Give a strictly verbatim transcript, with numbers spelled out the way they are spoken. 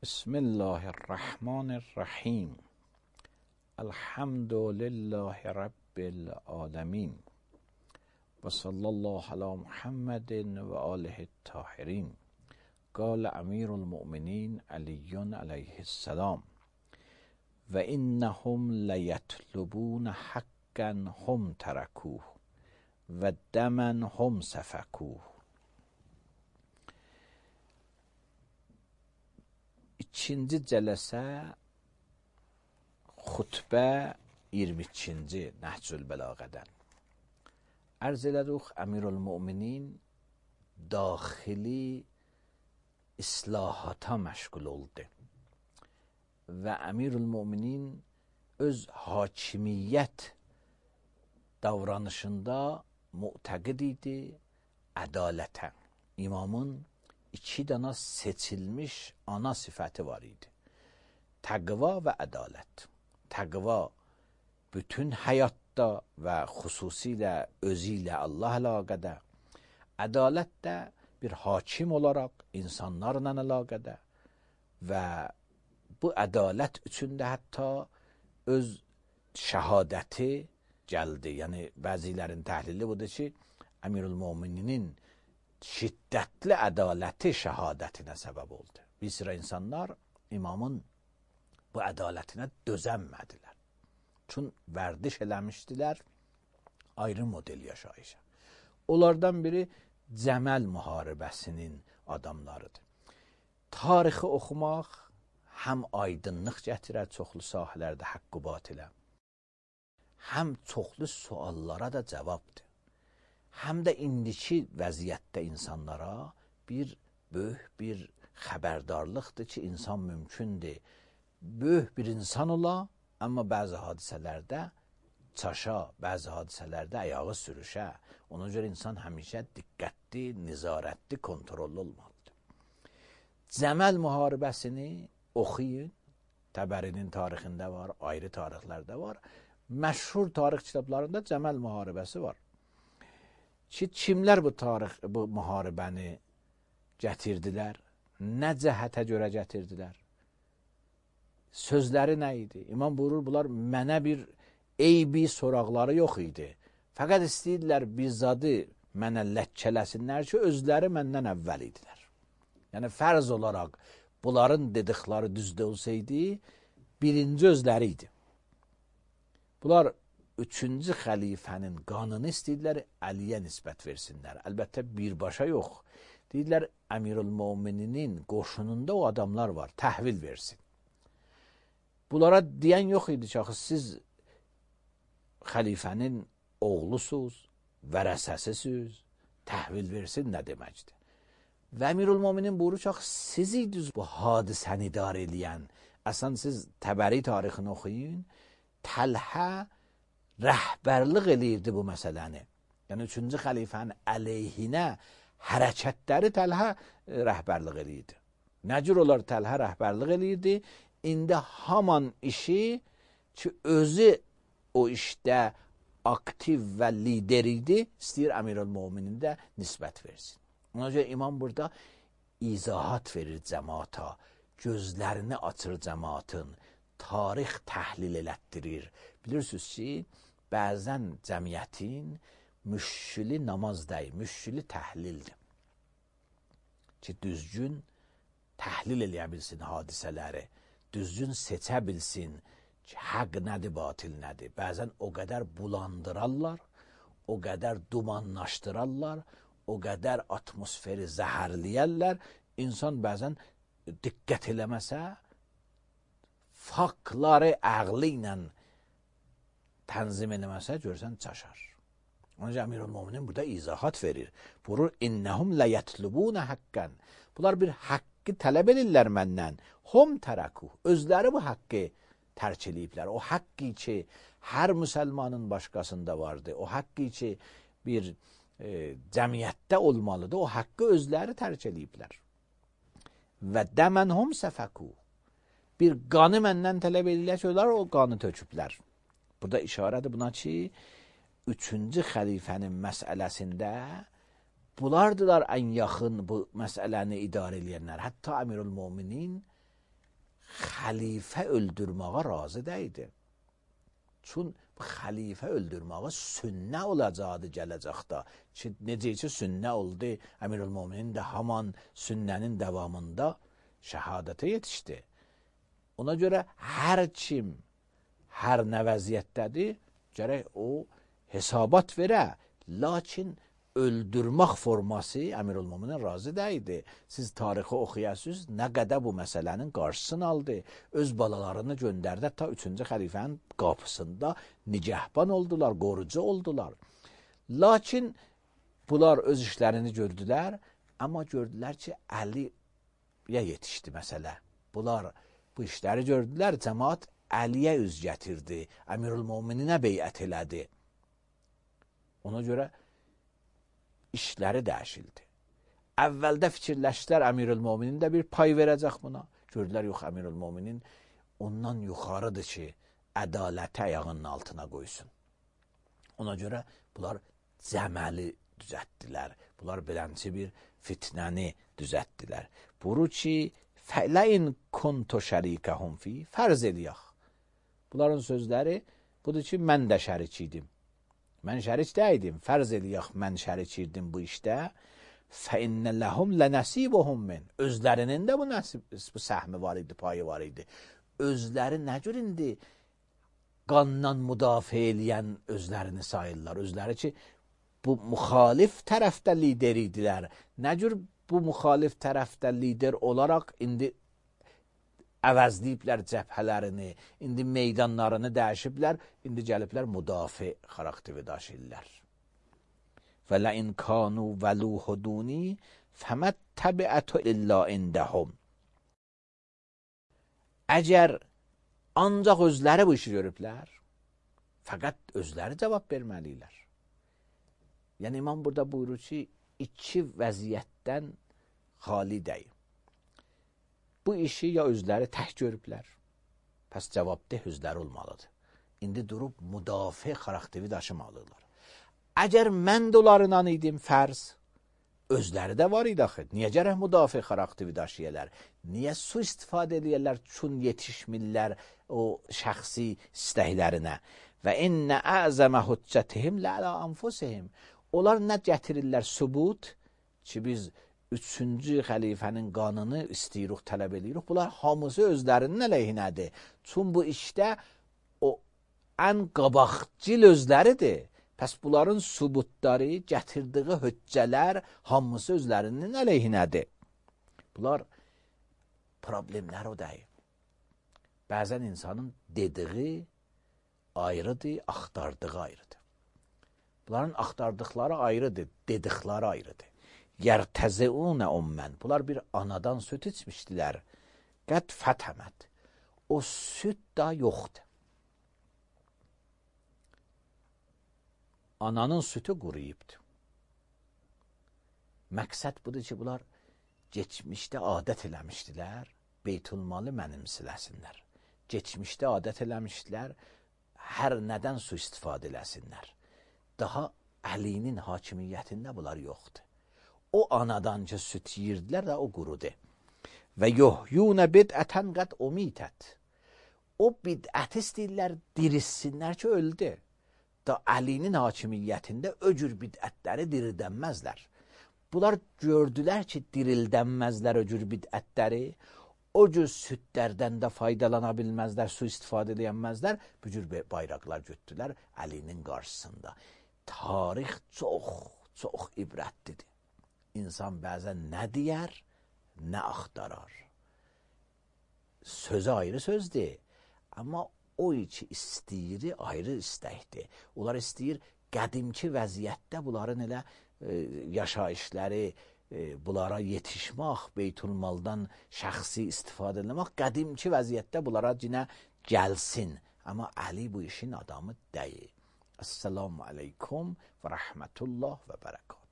بسم الله الرحمن الرحیم. الحمد لله رب العالمین و صلی الله علی محمد و آله الطاهرین. قال امیر المؤمنین علی علیه السلام: و انهم لیطلبون حقا هم ترکوه و دما هم سفکوه. İkinci cələsə xutbə iyirmi ikinci Nəhcül Bəlağədən. Ərz elədik, Əmirülmüminin daxili islahata məşğul oldu və Əmirülmüminin öz hakimiyyət davranışında mu'təqid idi ədalətə. İmamın iki dana seçilmiş ana sifəti var idi: təqva və ədalət. Təqva bütün həyatda və xüsusilə özü ilə Allah əlaqədə, ədalət də bir hakim olaraq insanlarla əlaqədə və bu ədalət üçün də hətta öz şəhadəti gəldi. Yəni bəzilərin təhlili budur ki, Əmirülmüminin şiddətli ədaləti şəhadətinə səbəb oldu. Bir sıra insanlar imamın bu ədalətinə dözənmədilər. Çün vərdiş eləmişdilər ayrı model yaşayışa. Onlardan biri Cəməl müharibəsinin adamlarıdır. Tarixi oxumaq həm aydınlıq gətirər çoxlu sahələrdə haqq-ı batilə, həm çoxlu suallara da cavabdır. Həm də indiki vəziyyətdə insanlara bir böyük bir xəbərdarlıqdır ki, insan mümkündür böyük bir insan ola, amma bəzi hadisələrdə çaşa, bəzi hadisələrdə ayağı sürüşə. Ona görə insan həmişə diqqətli, nizarətli, kontrollu olmalıdır. Cəməl müharibəsini oxuyun. Təbərinin tarixində var, ayrı tarixlərdə var. Məşhur tarix kitablarında Cəməl müharibəsi var. Ki, kimlər bu tarix, bu müharibəni gətirdilər? Nə cəhətə görə gətirdilər? Sözləri nə idi? İmam buyurur, bunlar mənə bir eybi soraqları yox idi. Fəqət istəyirlər bizzadı mənə ləkkələsinlər ki, özləri məndən əvvəl idilər. Yəni, fərz olaraq bunların dedikləri düzdə olsaydı, birinci özləri idi. Bunlar üçüncü xəlifənin qanını istəyirlər Əliyə nisbət versinlər. Əlbəttə birbaşa yox. Deyirlər, Əmirülmüminin qoşununda o adamlar var, təhvil versin. Bunlara deyən yox idi ki, siz xəlifənin oğlusuz, vərəsəsisiz, təhvil versin nə deməkdir? Və Əmirülmüminin buyurur ki, siz idiniz bu hadisəni idarə eləyən. Əslən, siz Təbəri tarixini oxuyun, Təlhə rəhbərlik eləyirdi bu məsələni. Yəni, üçüncü xəlifənin əleyhinə hərəkətləri Təlhə rəhbərlik eləyirdi. Nə cür olar Təlhə rəhbərlik eləyirdi? İndi haman işi ki, özü o işdə aktiv və lider idi, istəyir Əmirülmüminin də nisbət versin. Ona görə imam burada izahat verir cəmaata, gözlərini açır cəmaatın, tarix təhlil elətdirir. Bilirsiniz ki, bəzən cəmiyyətin müşkili namaz deyil, müşkili təhlildir. Ki, düzgün təhlil eləyə bilsin hadisələri, düzgün seçə bilsin ki, həq nədir, batil nədir. Bəzən o qədər bulandırarlar, o qədər dumanlaşdırarlar, o qədər atmosferi zəhərləyərlər. İnsan bəzən diqqət eləməsə, faktları əqli ilə tənzim eləməsə, görsən çaşar. Onun üçün Əmirülmüminin burada izahat verir. Buyurur, innəhum ləyetlubunə haqqən. Bunlar bir haqqı tələb edirlər məndən. Hum tərəkuh. Özləri bu haqqı tərk eləyiblər. O haqqı ki, hər müsəlmanın başqasında vardı. O haqqı ki, bir e, cəmiyyətdə olmalıdır. O haqqı özləri tərk eləyiblər. Və dəmən hum səfəkuh. Bir qanı məndən tələb edirlər ki, onlar o qanı töküblər. Burada işarədir buna ki, üçüncü xəlifənin məsələsində bunlardılar ən yaxın bu məsələni idarə edənlər. Hətta Əmirülmüminin xəlifə öldürməyə razı deyildi. Çün xəlifə öldürməyə sünnə olacaqdı gələcəkdə. Ki, necə ki sünnə oldu, Əmirülmöminin də haman sünnənin davamında şəhadətə yetişdi. Ona görə hər kim, hər nə vəziyyətdədir, gərək o hesabat verə. Lakin öldürmək forması Əmirülmöminin razı deyildi. Siz tarixi oxuyasınız, nə qədər bu məsələnin qarşısını aldı. Öz balalarını göndərdi, ta üçüncü xəlifənin qapısında nigəhban oldular, qorucu oldular. Lakin bunlar öz işlərini gördülər, amma gördülər ki, Əliyə yetişdi məsələ. Bunlar bu işləri gördülər, cəmaat Əliyə üz gətirdi, Əmirülmömininə beyət elədi. Ona görə işləri dəyişildi. Əvvəldə fikirləşdilər, Əmirülmöminin də bir pay verəcək buna. Gördülər, yox, Əmirülmöminin ondan yuxarıdır ki, ədaləti ayağının altına qoysun. Ona görə bunlar cəməli düzəltdilər. Bunlar belənçi bir fitnəni düzəltdilər. Buru ki, fələin kuntu şərikəhum fi, fərz eləyək. Bunların sözləri budur ki, mən də şərik idim. Mən şərik deyildim, fərz eləyək, mən şərik idim bu işdə. فَاِنَّ لَهُمْ لَنَسِيبُهُمْ مِنْ Özlərinin də bu, nəsib, bu səhmi var idi, payı var idi. Özləri nə cür indi qandan müdafiə eləyən özlərini sayırlar. Özləri ki, bu müxalif tərəfdə lider idilər. Nə cür bu müxalif tərəfdə lider olaraq indi əvəzləyiblər cəbhələrini, indi meydanlarını dəyişiblər, indi gəliblər müdafiə xarakteri daşıyırlar. وَلَئِنْ كَانُوا وَلُوهُ دُونِي فَمَا التَّبِعَةُ إِلَّا عِنْدَهُمْ Əgər ancaq özləri bu işi görüblər, fəqət özləri cavab verməliylər. Yəni, imam burada buyurur ki, iki vəziyyətdən xali deyil. Bu işi ya özləri tək görüblər, pəs cavabdeh özləri olmalıdır. İndi durub müdafiə xarakteri daşımalıdırlar. Əgər mən də onlarından idim, fərz, özləri də var idi axı. Niyə gərək müdafiə xarakteri daşıyırlar? Niyə su istifadə edirlər, çün yetişmirlər o şəxsi istəklərinə? Və innə əzəmə hüccətihim lələ anfusihim. Onlar nə gətirirlər? Sübut ki, biz üçüncü xəlifənin qanını istiyirik, tələb edirik. Bunlar hamısı özlərinin əleyhinədir. Çün bu işdə o ən qabaqcıl özləridir. Pəs bunların sübutları, gətirdiyi höccələr hamısı özlərinin əleyhinədir. Bunlar problemlər o deyil. Bəzən insanın dediği ayrıdır, axtardığı ayrıdır. Bunların axtardıqları ayrıdır, dedikləri ayrıdır. Yərtəziunə ummən. Bunlar bir anadan süt içmişdilər. Qəd fətəməd. O süt da yoxdur. Ananın sütü quruyubdur. Məqsəd budur ki, bunlar geçmişdə adət eləmişdilər, beytulmalı mənimsiləsinlər. Geçmişdə adət eləmişdilər, hər nədən su istifadə eləsinlər. Daha Əlinin hakimiyyətində bunlar yoxdur. O anadan ki, süt yiyirdilər də o qurudu. Və yuhyunə bidətən qəd umitət. O bidət istəyirlər, dirissinlər ki, öldü. Da Əlinin hakimiyyətində o cür bidətləri dirildənməzlər. Bunlar gördülər ki, dirildənməzlər o cür bidətləri, o cür südlərdən də faydalana bilməzlər, su istifadə edənməzlər, bu cür bayraqlar götürdülər Əlinin qarşısında. Tarix çox, çox ibrətlidir. İnsan bəzən nə deyər, nə axtarar. Sözü ayrı sözdür, amma o ki istəyir, ayrı istəkdir. Onlar istəyir qədimki vəziyyətdə bunların elə e, yaşayışları, e, bunlara yetişmək, beytulmaldan şəxsi istifadə etmək, qədimki vəziyyətdə bunlara cinə gəlsin. Amma Əli bu işin adamı deyil. Esselamu aleykum və rəhmətullah və bərəkət.